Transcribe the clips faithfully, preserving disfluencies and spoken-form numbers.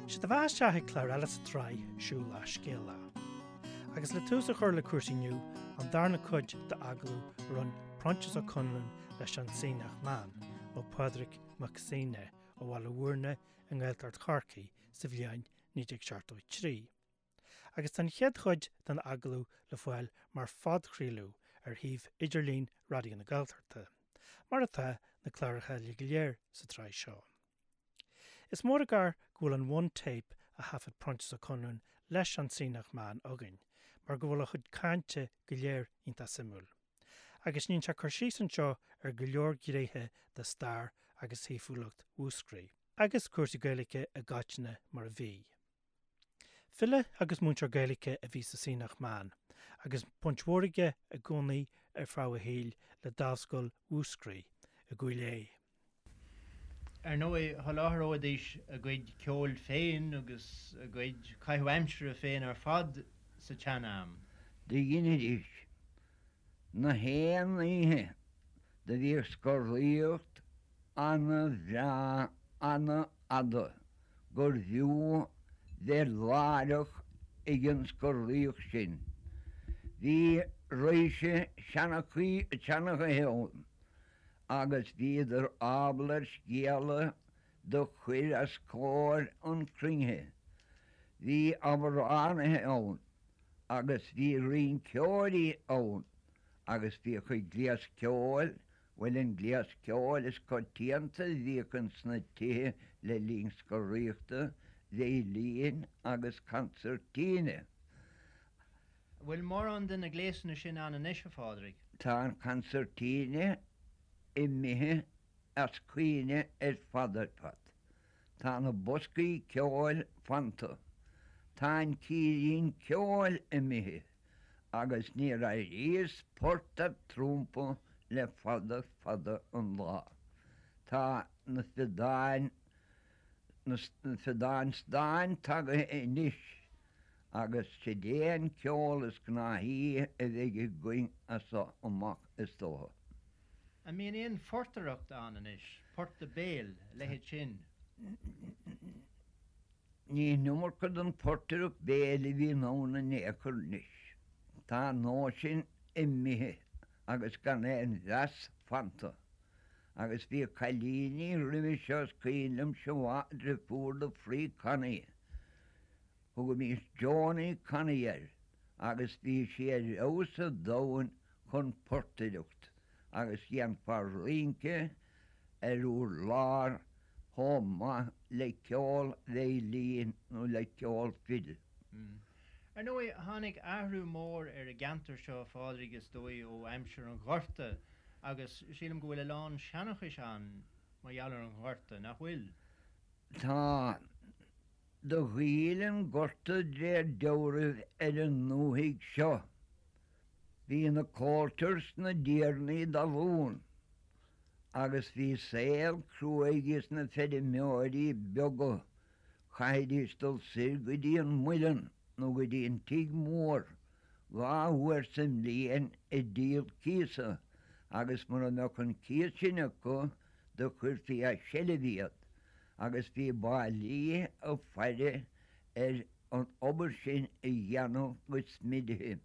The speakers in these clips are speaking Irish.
Sé do bheatha isteach ag clár eile sa tsraith Siúl a' Scéala. Agus le tús a chur le cúrsaí inniu an darna cuid d'agallamh a rinne Proinsias Ó Conluain leis an Sionnach Meann nó Pádraig Mac Suibhne ó Bhaile Mhúirne i nGaeltacht Chorcaí sa bhliain naoi déag seachtó a trí. Agus tá an chéad chuid den agallamh le fáil mar phodchraoladh ar shuíomh idirlín Raidió na Gaeltachta, mar atá na cláracha eile go léir sa tsraith seo. Is mór an gar go bhfuil an one tape a thaifead Proinsias Ó Conluain leis an Sionnach Meann againn, mar go bhfuil a chuid cainte go léir iontach suimiúil. Agus níonn sé cur síos anseo ar go leor gnéithe de stair agus shaoithiúlacht Mhúscraí, agus cúrsaí Gaeilge i gcoitinne mar a bhí. File agus múinteoir Gaeilge a bhí sa Sionnach Meann, agus baint mhór aige i gcónaí ar feadh a shaoil le Dámhscoil Mhúscraí i gCúil Aodha. Ar ndóigh sholáthróidís a gcuid ceoil féin agus a gcuid caitheamh aimsire féin ar fad sa tsean-am. Do dheinidís na haon oíche do bhíodh scoraíocht ana-bhreá ana-fhada gur bhfiú bheith láithreach ag an scoraíocht sin. Bhí raidhse seanchaí seanchaithe ann agus bhíodar ábalta ar scéala do chur os comhair an chruinnithe. Bhí amhránaithe ann agus bhí rinceoirí ann agus bhíodh an gléas ceoil, bhuel an gléas ceoil is coitianta a bhíodh ins na tithe le linn scoraíochta, veidhlín agus consairtíne. Bhfuil mórán de na gléasanna sin ann anois a Phádraig? Tá an consairtíne imithe as cuimhne ar fad ar fad. Tá na boscaí ceoil fanta. Tá an círín ceoil imithe agus níor airíos port ar trumpa le fada fada an lá. Tá na feadáin na feadáin stáin tagaithe anois agus siad é an ceol is gnáthaí a bheidh againn as seo amach is dócha. An mbíonn aon phortaireacht ann anois, port béil, leithéid sin. Ní an iomarca den phortaireacht béil a bhíonn ann in aon chor anois. Tá an nós sin imithe agus gan aon mheas fanta. Agus bhí cailíní roimhe seo is cuimhin liomsa mhaith deirfiúr do Free Connie. Thugaimis Johnny Connie air agus bhí sí ar fheabhas sa domhan chun portaireacht agus dhéanfá rince ar urlár chomh maith le ceol veidhlín nó le ceol fidil. Ar ndóigh tháinig athrú mór ar an gceantar seo Phádraig is dóigh ó aimsir an Ghorta agus sílim go bhfuil a lán seanchais ann mar gheall ar an Ghorta nach bhfuil. Tá do ghoill an gorta de réir dealraimh ar an ndúthaigh seo. Bhí na Coulters na dtiarnaí talún agus bhí saol cruaidh ag na feirmeoirí beaga chaithfidís dul soir go dtí an muileann nó go dtí an tigh mór dhá uair sa mbliain ag díol cíosa agus mura mbeadh an cíos sin acu do chuirfí as seilbh iad agus bhí bailí ag faire ar an obair sin a dhéanamh go smidithe.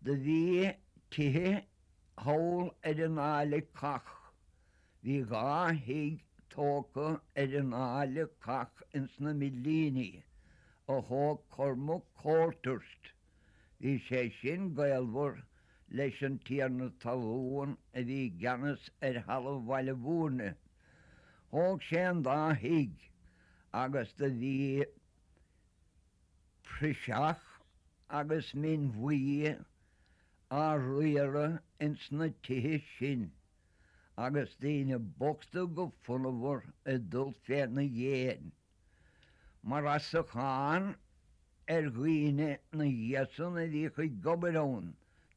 Do bhí tithe thall ar an Fháil Chath. Bhí dhá thigh tógtha ar an Fháil Chath ins na Millíní a thóg Cormac Colthurst. Bhí sé sin gaolmhar leis an tiarna talún a bhí i gceannas ar thalamh Bhaile Mhúirne. Thóg sé an dá thigh agus do bhí praiseach agus min bhuí á riaradh ins na tithe sin agus daoine bochta go fonnmhar ag dul féna dhéin. Mar asachán ar dhaoine na dhiaidh san a bhíodh ag obair ann,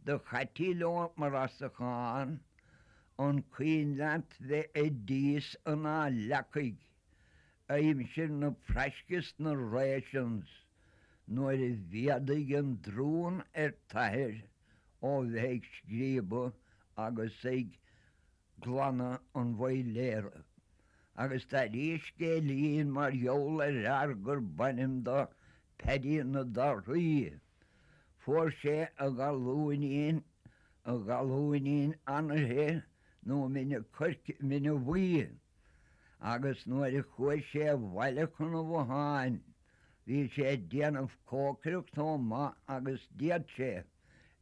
do chaití leo mar asachán an cuimhin leat bheith i dtíos an Fháil Leacaigh aimsir na fraisce 's na rations nuair a mhéadaigh an drún ar t'athair ó bheith ag scríobadh agus ag glanadh an bhoiléara. Agus d'airíos scéilín mar gheall ar fhear gurb ainm dó Paddy na Dorthaí. Fuair sé a ghalúinín, a ghalúinín anairthe nó mine coirce, mine bhuí, agus nuair a chuaigh sé abhaile chun an bhotháin, bhí sé ag déanamh cócaireacht chomh maith agus d'fhéad sé,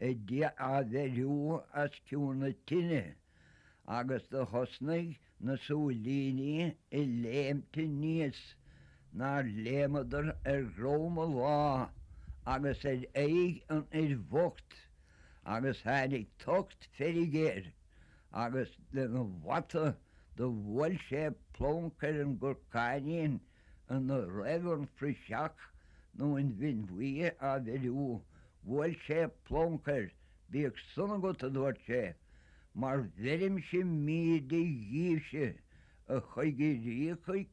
á bheiriú os cionn na tine, agus do thosnaigh na súilíní ag léimt aníos nár léimeadar ar dhrom a lá agus ar aghaidh an fhir bhoicht agus tháinig tocht feirge air agus lena bhata do bhuail sé plonc ar an gcorcáinín ina raibh an phraiseach nó an mhin bhuí á bheiriú, bhuail sé plonc air, bíodh san agat, a dúirt sé, mar bheirimse míde dhíbhse, a choigiríocha,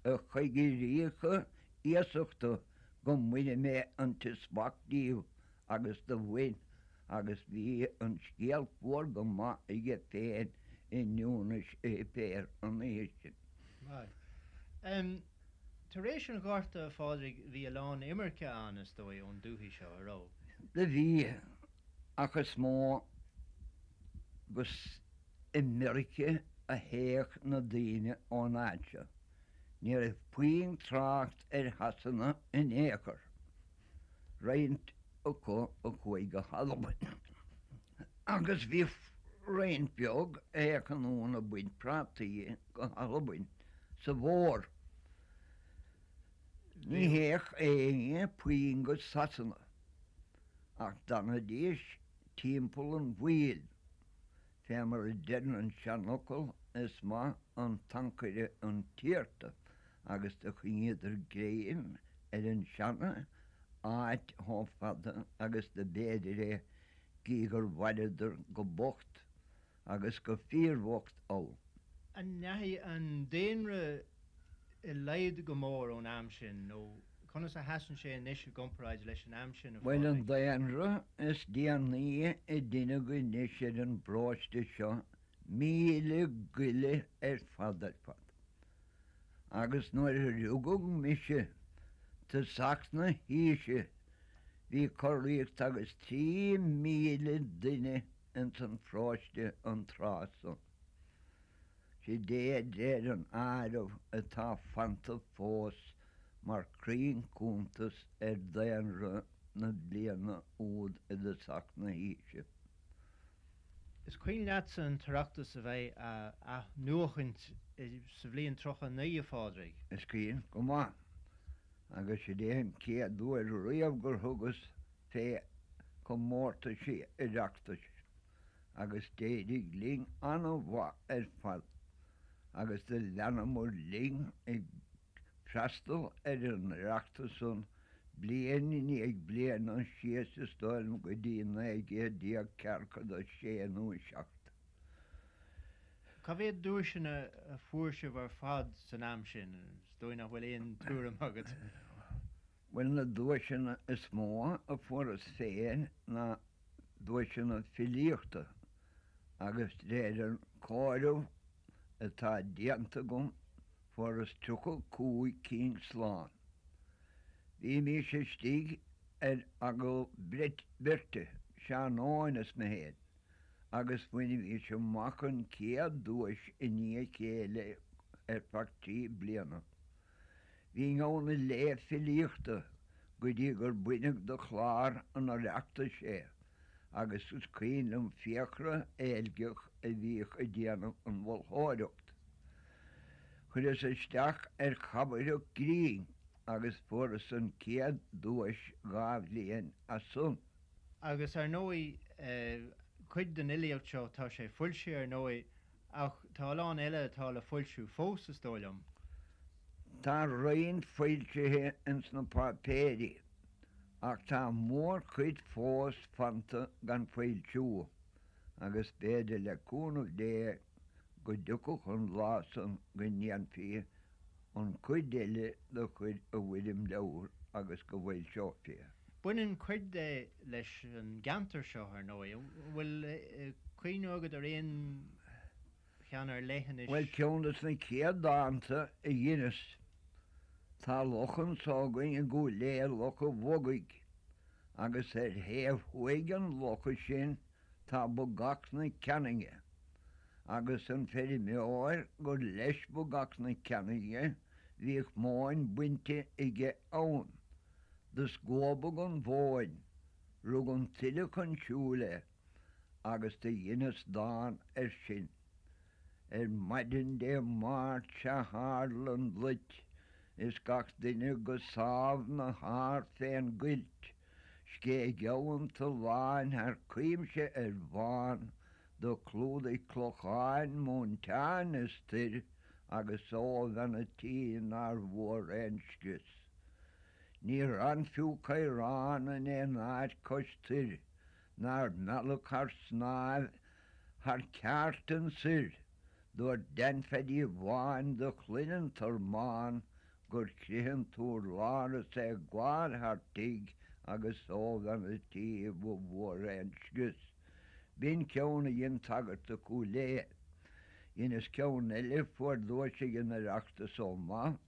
a choigiríocha iasachta, go mbaine mé an t-smacht díbh, agus do bhain, agus bhí an scéal fuar go maith aige féin i nDúnais a shuipéir an oíche sin. Maith. Tar éis an Ghorta, a Phádraig, bhí a lán imirce ann, is dóigh, ón dúthaigh seo, a raibh? Do bhí, ach is mó go i Meirice a théadh na daoine ón áit seo. Ní raibh puinn trácht ar Shasana in aon chor. Roinnt acu a chuaigh go hAlbain. Agus bhí roinnt bheag a théadh anonn ag baint prátaí go hAlbain sa bhfómhar. Ní théadh éinne puinn go Sasana, ach d'fhanaidís timpeall an bhaill, fé mar a deireann an seanfhocal, is maith an t-ancaire an t-iarta, agus do choinníodar greim ar an seana áit chomh fada agus do b'fhéidir é, gídh gur mhaireadar go bocht agus go fíorbhocht ann. An ndeachaigh an daonra i laghad go mór ón am sin nó conas a sheasann sé anois i gcomparáid leis an am sin, a Bhuel, an Phádraig? daonra is déanaí a deineadh anois ar an bparóiste seo, míle goile ar fad ar fad. Agus nuair a rugadh mise, tosach na haoise, bhí corraíocht agus trí mhíle duine ins an pharóiste an tráth san. Sid é d'réir an áireamh atá fanta fós mar chruinn-chuntas ar daonra na bliana úd i dtosach na haoise. Is cuimhin leatsa an tOireachtas a bheith á athnuachaint sa bhliain tríocha a naoi, a Phádraig? Is cuimhin go maith, agus sid é an chéad uair riamh gur thugas fé chomórtaisí Oireachtais agus d'éirigh linn ana-mhaith ar fad agus do leanamair linn ag freastal ar an Oireachtas san bliain i ndiaidh bliana síos is dóigh liom go dtí naoi gcéad déag ceathracha a sé nó a seacht. Cá mhéad duaiseanna a fuair sibh ar fad san am sin? Is dóigh nach bhfuil aon tuairim agat. Bhuel na duaiseanna is mó a fuaireas féin ná duaiseanna filíochta agus d'réir an chomhaireamh atá déanta agam fuaireas tríocha cúig cinn slán. Bhímís istigh ar agallamh beirte, Seán Eoin is mé féin, agus bhainimís amach an chéad duais i ndiaidh a chéile ar feadh trí bliana. Bhínn ann ag léamh filíochta go dtí gur baineadh de chlár an Oireachtais é agus is cuimhin liom Fiachra Eilgeach a bhíodh ag déanamh an mholtóireacht. Chuireas isteach ar chabaireacht grinn agus fuaireas an chéad duais dhá bhliain as san. Agus ar ndóigh, cuid den fhilíocht seo, tá sé foilsithe ar ndóigh, ach tá a lán eile atá le foilsiú fós, is dóigh liom. Tá roinnt foilsithe ins na páipéirí, ach tá mórchuid fós fanta gan foilsiú, agus b'fhéidir le cúnamh Dé go dtiocfadh an lá san go ndéanfaí an chuid eile do chur i bhfoirm leabhair agus go bhfoilseofaí é. Baineann cuid de leis an gceantar seo, ar ndóigh. An bhfuil cuimhne agat ar aon ceann ar leith anois. Bhuel, ceann des na chéad dánta a dheineas, tá loch anso againn i gCúil Aodha, Loch an Bhogaigh, agus ar thaobh thuaidh an locha sin tá Bogach na Ceanainne, agus an feirmeoir gur leis Bogach na Ceanainne, bhíodh móin bainte aige ann. Do scuabadh an mhóin, rug an tuile chun siúil é, agus do dheineas dán air sin. Ar maidin Dé Máirt sea tharla an loit is gach duine go sámh 'na shár fén gcuilt, Scéigeadh an tSuláin thar cuimse ar bhán, do chlúdaigh clocháin, móinteáin is toir agus ó bhean a' tí nár bhfuar aon scrios. Níor fhan fiú caorán in aon áit cois toir nár mealladh thar snámh thar ceártan soir, dúirt Dan Pheaidí Bháin do chloinn an tormán gur chrith an t-urlár is é ag gabháil thar tigh agus ó bhean a' tí ba mhór é an scrios. B'in ceann a dhein sagart do Chúil Aodha. Dheineas ceann eile, fuair duais ag an Oireachtas chomh maith.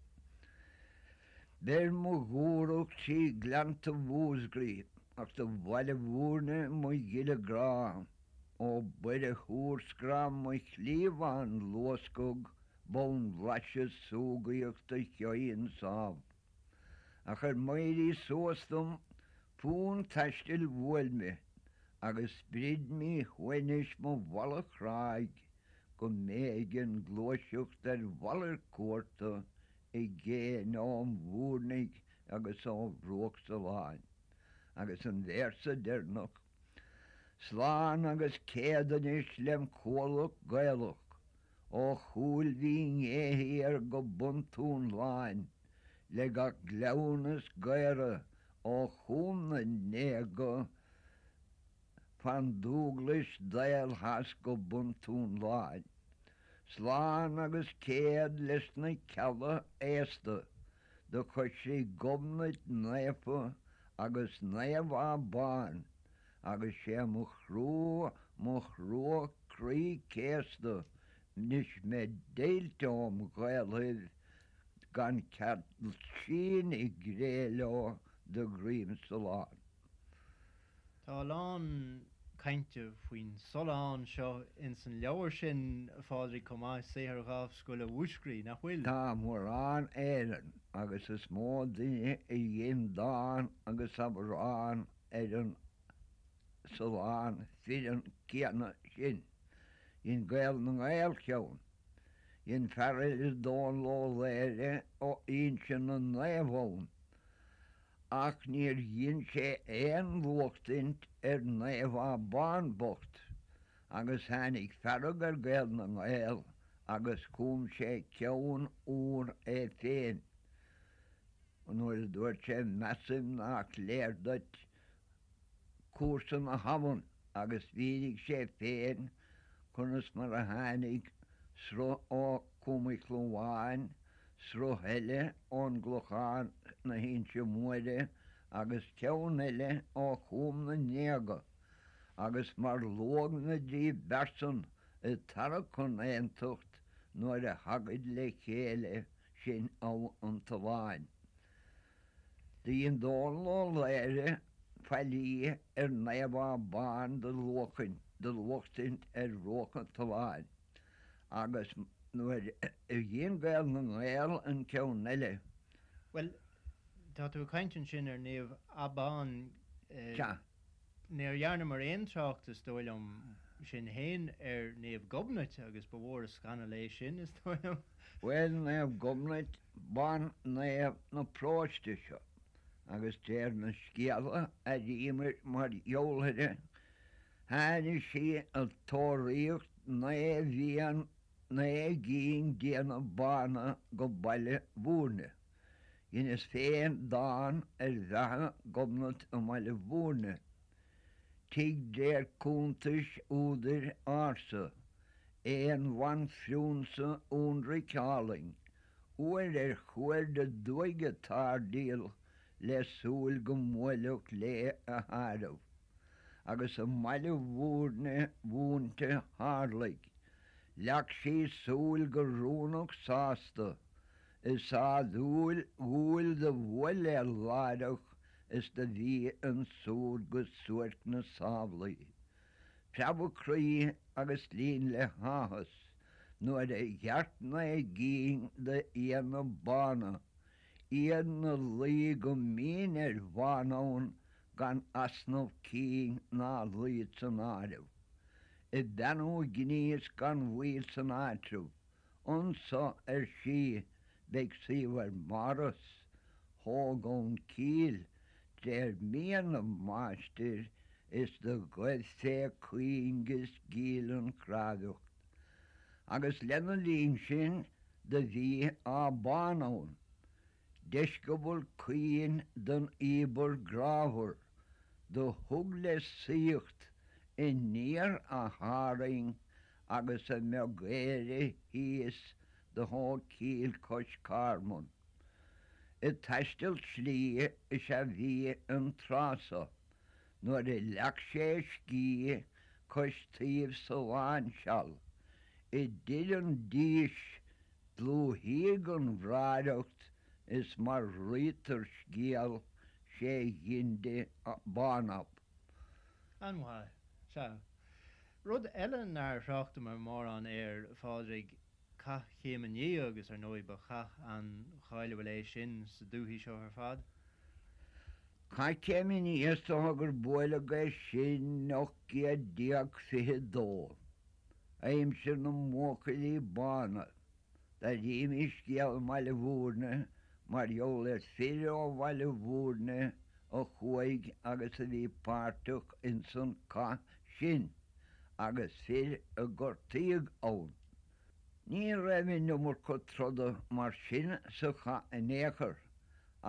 Beir mo dhúthracht trí ghleannta Mhúscraí ach do Bhaile Mhúirne mo ghile grá, ó Buire húrscraith mo chliabhán luascadh bonn blaiseadh súgaíochta sheoigh an sámh. Ach ar m'éirí suas dom fonn taistil bhuail mé agus sprid míshuaimhnis mo mhala chráigh go mb'éigean gluaiseacht ar mhalairt cuarta i gcéin óm mhúirnigh agus ó bhruach Suláin. Agus an véarsa deireanach, Slán agus céad anois lem chuallacht Gaelach, ó Chúil Mhín Aodha thiar go bun Túnláin, le gach gleann is gaora ó Chúm na nGéaga fan Dúglais daol theas go bun Túnláin. Slán agus céad leis na cealla aosta do choisricigh Gobnait naofa agus Naomh Abán agus sé mo thrua, mo thrua croí céasta 'nois mé deighilte óm Ghaelaibh gan cead sín i gcré leo de dhroim Suláin. Tá a lán cainte faoin Sulán seo ins an leabhar sin, a Phádraig, chomh maith, Saothar Dhámhscoile Mhúscraí, nach bhfuil? Tá mórán Éireann agus is mó duine a dhein dán agus amhrán ar an Sulán fireann céanna sin. Dhein Gael na nGael ceann. Dhein fear eile Dónal Ó Laoghaire ó Fhoinse na Naomh ann. Ach níor dhein sé aon luachtaint ar Naomh Abán bocht, agus tháinig fearg ar Gael na nGael agus chum sé ceann úr é féin nuair a dúirt sé measaim nach léir duit cúrsa na habhann agus mhínigh sé féin conas mar a tháinig sruth ó Chúm Uí Chlúmháin, sruth eile ón gClochán na hInse Móire agus ceann eile ó Chúm na nGéaga, agus mar luadh na dtrí bpearsan ag tarrac chun aontacht nuair a thagaid le chéile sin Abha an tSuláin. Do dhein Dónal Ó Laoghaire faillí ar Naomh Abán do luachtaint ar bhruach an tSuláin agus nuair a dhein Gael na nGael an ceann eile. Bhuel, tá tú ag caint ansin ar Naomh Abán. Sea. Níor dhearnamar aon trácht, is dóigh liom, sinn féin ar Naomh Gobnait agus ba mhór an scannal é sin, is dóigh liom. Bhuel, Naomh Gobnait, ban-naomh na paróiste seo, agus deir na scéalta a airíomar mar gheall uirthi, tháinig sí ag tóraíocht naoi bhFiann naoi gcinn d'éanna bána go Baile Mhúirne. Dheineas féin dán ar bheatha Ghobnait i mBaile Mhúirne. Tig d'réir cuntais údair ársa, aon bhanphrionsa ionraic álainn, uair ar chuaird aduaidh ag táirdaíl le súil go mbuailfeadh léi a thaidhreamh. Agus i mBaile Mhúirne mhúinte tharlaigh, Leag sí súil go rúnach sásta, is á dúil dhúil do bhuail é láithreach is do bhí ansúd go suairc na samhlaí. Preabadh croí agus líon le háthas nuair a dhearc naoi gcinn d'fhianna bána, iad 'na luí go mín ar bhán ann gan easnamh cinn ná luid san áireamh. Ag beannú gníos gan mhoill san áitreabh. Anso, ar sí, beidh suíomh ár mbáras, thóg ann cill, d'réir mian a máistir, is do ghoibh fé chuing is gíll an chrábhaidh. Agus lena linn sin do bhí áth bán ann, deisceabal caoin den íobar grámhar, do thug le saíocht aniar a tharraing agus a mbeag Éire thíos do thóg cill cois Carman. Ag taisteal slí is ea bhí an tráth so, nuair a leag sé a scíth cois taoibh sa lainseáil, i dTir an Dís dlúthaíodh an bhráithreacht is mar rítear scéal sé ghin di bánab. An-mhaith. Sea. Rud eile nár thráchtamar mórán air, a Phádraig, Cath Chéim an Fhia agus ar ndóigh ba chath an-cháiliúil é sin sa dúthaigh seo ar fad. Cath Chéim an Fhia is dócha gur buaileadh é sin ocht gcéad déag fiche dó, aimsir na mBuachaillí Bána. D'airímis scéal i mBaile Bhúirne mar gheall ar fir ó Bhaile Bhúirne a chuaigh agus a bhí páirteach ins an cath sin agus fir a gortaíodh ann. Ní raibh an iomarca troda mar sin sa chath in aon chor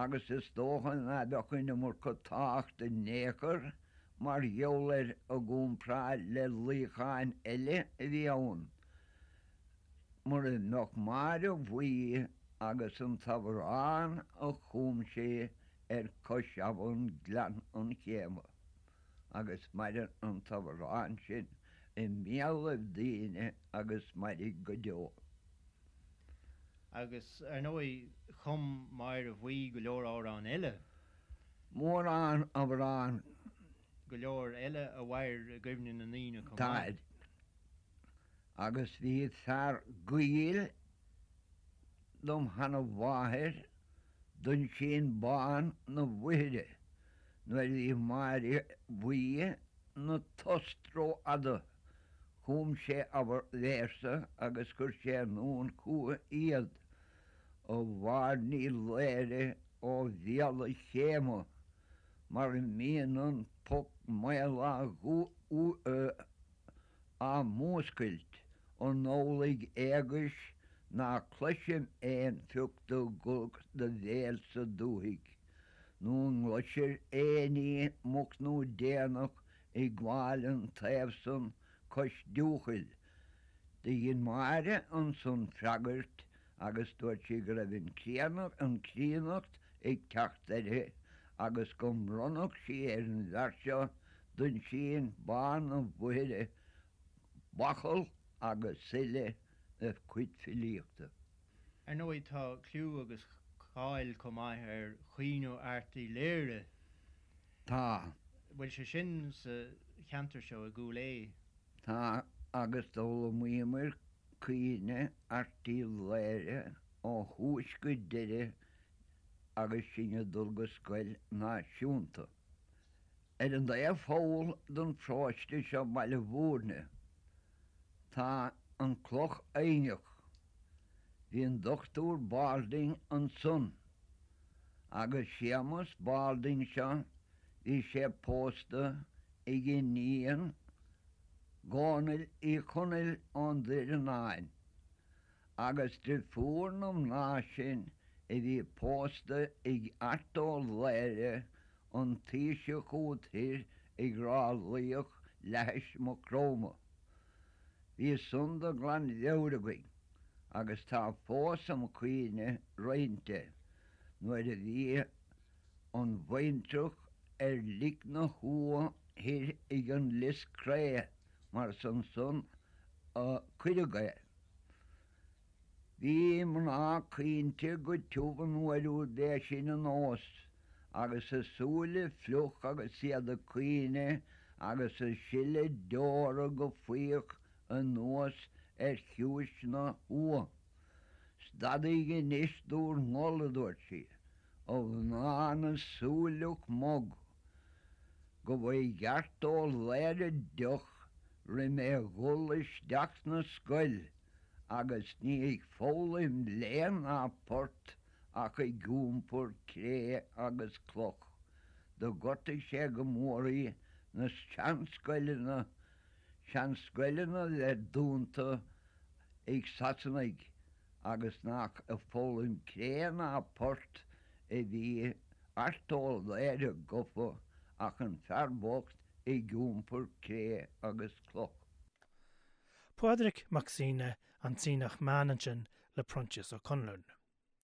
agus is dócha ná beadh an iomarca tábhachta in aon chor mar gheall air i gcomparáid le luíocháin eile a bhí ann mura mbeadh Máire Bhuí agus an t-amhrán a chum sí ar cois abhann Gleann an Chéama. Agus maireann an t-amhrán sin i mbéalaibh daoine agus mairfidh go deo. Agus, ar ndóigh, chum Máire Bhuí go leor amhrán eile. Mórán amhrán. Go leor eile a mhair i gcuimhne na ndaoine chomh maith. Táid. Agus bhí fear gaoil dom sheana-mháthair, Duinsín Bán na Mhuire, nuair a bhí Máire Bhuí 'na tost rófhada, chum sé abair véarsa agus chuir sé anonn chúithi iad, A Mháire Ní Laoire ó Bhéal a' Chéama, mar a mbíonn an poc maol á mhúscailt, an amhlaidh éagais ná cloisim aon phioc de ghuth do bhéil sa dúthaigh, nó an gcloisir éinín moch nó déanach ag gabháil an taobh san cois Diúchaill. Do dhein Máire ansan freagairt agus dúirt sí go raibh an an chríonnacht ag teacht uirthi agus go mbronnfadh sí ar an bhfear seo, Duinsín Bán na Mhuire, bachall agus uile a cuid filíochta. Ar ndóigh tá cliú agus cáil chomh maith ar Chaoineadh Airt Uí Laoghaire. Tá. Bhfuil sé sin sa cheantar seo i gCúil Aodha? Tá, agus d'fhoghlaimíomar Caoineadh Airt Uí Laoghaire ó thús go deireadh agus sinn ag dul go scoil náisiúnta. Ar an dtaobh thall den pharóiste seo Baile Bhúirne, tá an Cloch Eidhneach. Bhí an Dochtúir Balding ansan agus Séamus Balding seo, bhí sé pósta ag iníon Dhónaill Uí Chonaill ón Doireanáin agus drifiúr na mná sin a bhí pósta ag Art Ó Laoghaire, an taoiseach úd thoir ag Ráth Luíoch leathais Maigh Chromtha. Bhí san de ghlanmheabhair againn agus tá fós im chuimhne roinnt de nuair a bhí an bhaintreach ar lic na huatha thoir ag an Lios Cré mar is ansan a cuireadh é. Bhí mná caointe go tiubh an uair úd b'é sin an nós, agus a súile fliuch agus iad ag caoineadh agus ag sileadh deora go faíoch anuas ar chiumhais na huaighe. Stadaíg anois d'úr ngol, a dúirt sí, a mhná na súileach mog, go mba cheart ó Laoire deoch roimh mé dhul isteach 'na scoil. agus ní ag foghlaim léann ná port ach ag iompar cré agus cloch. Do ghortaigh sé go mór í na seanscoileanna, seanscoileanna le dúnta ag Sasanaigh agus nach ag foghlaim cré ná port a bhí Art Ó Laoire gofa ach an fear bocht ag iompar cré agus cloch. Pádraig Mac Suibhne, an Sionnach Meáin ansin le Proinsias Ó Conluain.